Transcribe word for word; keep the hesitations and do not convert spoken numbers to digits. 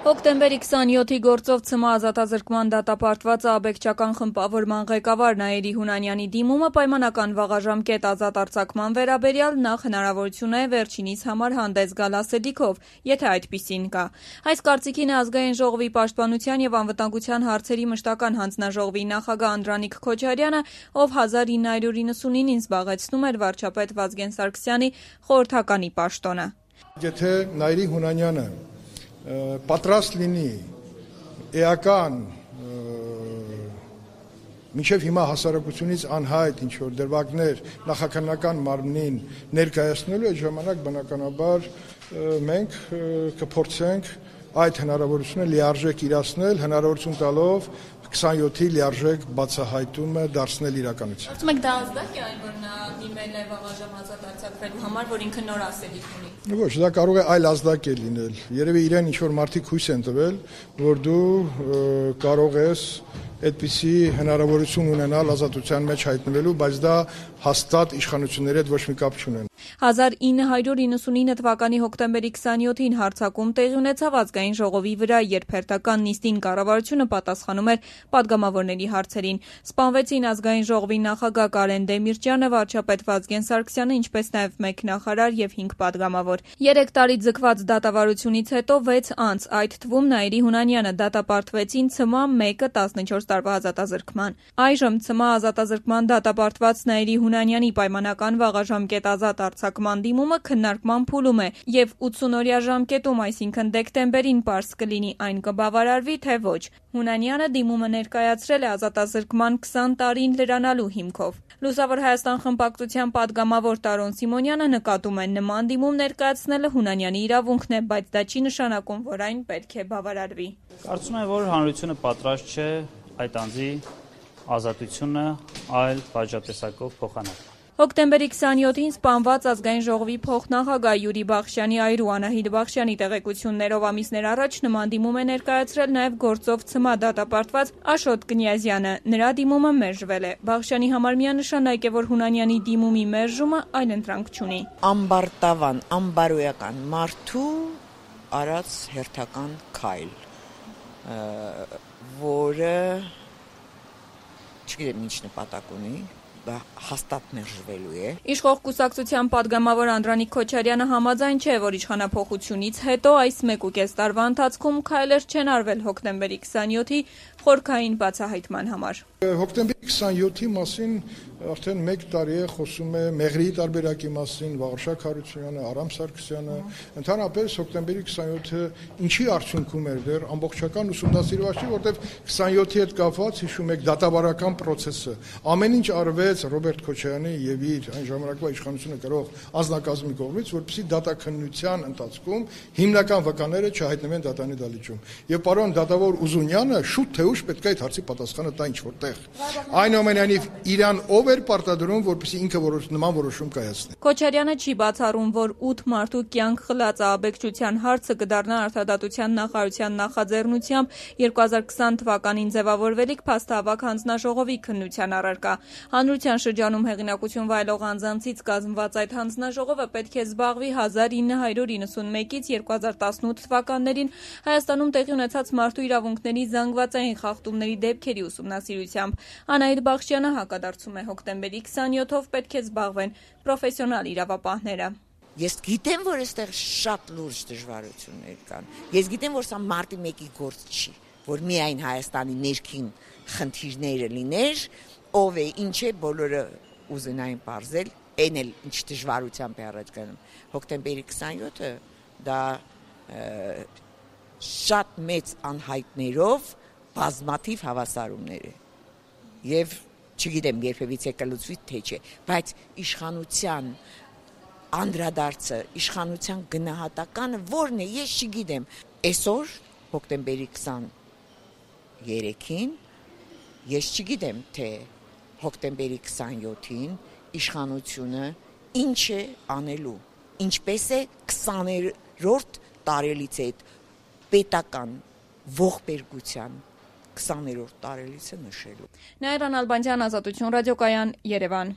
Հոկտեմբերի քսանյոթի գործով ՑՄ ազատազրկման դատապարտված աբեկչական խմբավորման ղեկավար Նաիրի Հունանյանի դիմումը պայմանական վաղաժամկետ ազատ արձակման վերաբերյալ նախ հնարավորություն է վերջինիս համար հանդես գալ ասելիքով, եթե այդպիսին կա։ Այս կարծիքին է Ազգային ժողովի պաշտպանության եւ անվտանգության հարցերի մշտական հանձնաժողովի նախագահ Անդրանիկ Քոչարյանը, ով հազար ինը հարյուր իննսունինին զբաղեցնում էր վարչապետ Վազգեն Սարգսյանի խորհրդականի պաշտոնը։ Եթե Նաիրի Հունանյանը պատրաստ լինի էական մինչև հիմա հասարակությունից անհայտ ինչ-որ դրվագներ նախաքննական մարմնին ներկայացնելու, այդ ժամանակ բնականաբար մենք կփորձենք այդ հնարավորությունը լիարժեք իրացնել, հնարավորություն տալով քսանյոթի լիարժեք բացահայտումը դարձնել իրականություն։ Կարծում եք դա ազդակ է այն, որ նա դիմել է վաղաժամ ազատ արձակվելու համար, որ ինքը նոր ասելիք ունի։ Ոչ, դա կարող է այլ ազդակ է լինել։ Երևի իրեն ինչ-որ մարդիկ հույս են տվել, որ դու կարող ես այդպիսի հնարավորություն ունենալ ազատության մեջ հայտնվելու, բայց դա հաստատ իշխանությունների հետ ոչ մի կապ չունեն։ հազար ինը հարյուր իննսունինը թվականի հոկտեմբերի քսանյոթին հարձակում տեղի ունեցավ Ազգային ժողովի վրա, երբ հերթական նիստին կառավարությունը պատասխանում էր պատգամավորների հարցերին։ Սպանվեցին Ազգային ժողովի նախագահ Կարեն Դեմիրճյանը, վարչապետ Վազգեն Սարգսյանը, ինչպես նաև մեկ նախարար եւ հինգ պատգամավոր։ Երեք տարի ձգված դատավարությունից հետո վեց անց, այդ թվում Նաիրի Հունանյանը, դատապարտվեցին ՑՄ մեկը տասնչորս տարվա ազատազրկման։ Այժմ ՑՄ ազատազրկման դատապարտված Նաիրի Հունանյանի պայմանական վաղաժամկետ ազատ արձակման դիմումը քննարկման փուլում է եւ ութսուն-օրյա ժամկետում, այսինքն դեկտեմբերին պարզ կլինի այն կբավարարվի թե ոչ։ Հունանյանը դիմումը ներկայացրել է ազատազրկման քսան տարին լրանալու հիմքով։ Լուսավոր Հայաստան խմբակցության պատգամավոր Տարոն Սիմոնյանը նկատում է, նման դիմում ներկայացնելը Հունանյանի իրավունքն է, բայց դա չի նշանակում, որ այն պետք է բավարարվի։ Կարծում եմ, որ հանրությունը պատրաստ չէ այդ անձի ազատությունը այլ պատժատեսակով փոխանակ։ Հոկտեմբերի քսանյոթին սպանված Ազգային ժողովի փոխնախագահ Յուրի Բախշյանի այր ու Անահիտ Բախշյանի տեղեկություններով ամիսներ առաջ նման դիմում է ներկայացրել նաև գործով ՑՄ դատապարտված Աշոտ Կնյազյանը։ Նրա դիմումը մերժվել է։ Բախշյանի համար միանշանակ է, որ Հունանյանի դիմումի մերժումը այլընտրանք չունի։ Ամբարտավան, ամբարոյական մարդու արած հերթական քայլ, որը չգիտեմ ինչ նպատակ ունի, հաստատ մերժվելու է։ Իշխող կուսակցության պատգամավոր Անդրանիկ Քոչարյանը համաձայն չէ, որ իշխանափոխությունից հետո այս մեկ ու կես տարվա ընթացքում քայլեր չեն արվել հոկտեմբերի քսանյոթի խորքային բացահայտման համար։ Հոկտեմբերի քսանյոթի մասին արդեն մեկ տարի է խոսում է Մեղրիի տարբերակի մասին, Վաղարշակ Հարությունյանը, Արամ Սարգսյանը, ընդհանրապես հոկտեմբերի քսանյոթը ինչի արդյունքում էր դեռ ամբողջական ուսումնասիրված չի, որտեղ քսանյոթի հետ կապված հիշում եք դատավարական process-ը։ Ամեն ինչ արվեց Ռոբերտ Քոչարյանի եւ իր այն ժամանակվա իշխանությունը գրող անձնակազմի կողմից, որպեսզի դատաքննության ընթացքում հիմնական վկաները չհայտնվեն դատանի դալիճում։ Եվ պարոն դատավոր Ուզունյանը շուտ թե ուշ պետք է այդ հարցի պատասխանը տա ինչ որտեղ։ Այնուամենայնիվ իրան ով էր պարտադրում, որպեսզի ինքը որոշ նման որոշում կայացնի։ Քոչարյանը չի բացառում, որ ութ մարդու կյանք խլած աբեկչության հարցը կդառնա արդարադատության նախարարության նախաձեռնությամբ երկու հազար քսան թվականին ձևավորվելիք փաստահավաք հանձնաժողովի քննության առարկա։ Հանրության շրջանում հեղինակություն վայելող անձանցից կազմված այդ հանձնաժողովը պետք է զբաղվի հազար ինը հարյուր իննսունմեկից երկու հազար տասնութ թվականներին Հայաստանում տեղի ունեցած մարդու իրավունքների զանգվածային խախտումների դեպքերի ուսումնասիրությամբ։ Անահիտ Բախշյանը հակադարձում է, հոկտեմբերի քսանյոթով պետք է զբաղվեն պրոֆեսիոնալ իրավապահները։ Ես գիտեմ, որ այստեղ շատ լուրջ դժվարություններ կան։ Ես գիտեմ, որ սա մարտի մեկի գործ չի, որ միայն Հայաստանի ներքին խնդիրները լիներ, ով է, ինչ է, բոլորը ուզենային պարզել, այն էլ ինչ դժվարությամբ է առաջ գնում։ Հոկտեմբերի քսանյոթը դա շատ մեծ անհայտներով բազմաթիվ հավասարումներ է։ Եվ չգիտեմ, երբևիցե կլուծվի թե չէ, բայց իշխանության անդրադարձը, իշխանության գնահատականը որն է, ես չգիտեմ։ Այսօր հոկտեմբերի քսաներեքին ես չգիտեմ, թե հոկտեմբերի քսանյոթին իշխանությունը ինչ է անելու, ինչպես է քսաներորդ տարելից է պետական ողբերգության քսաներորդ տարելիցը նշելու։ Նաիրա Նալբանդյան, Ազատություն ռադիոկայան, Երևան։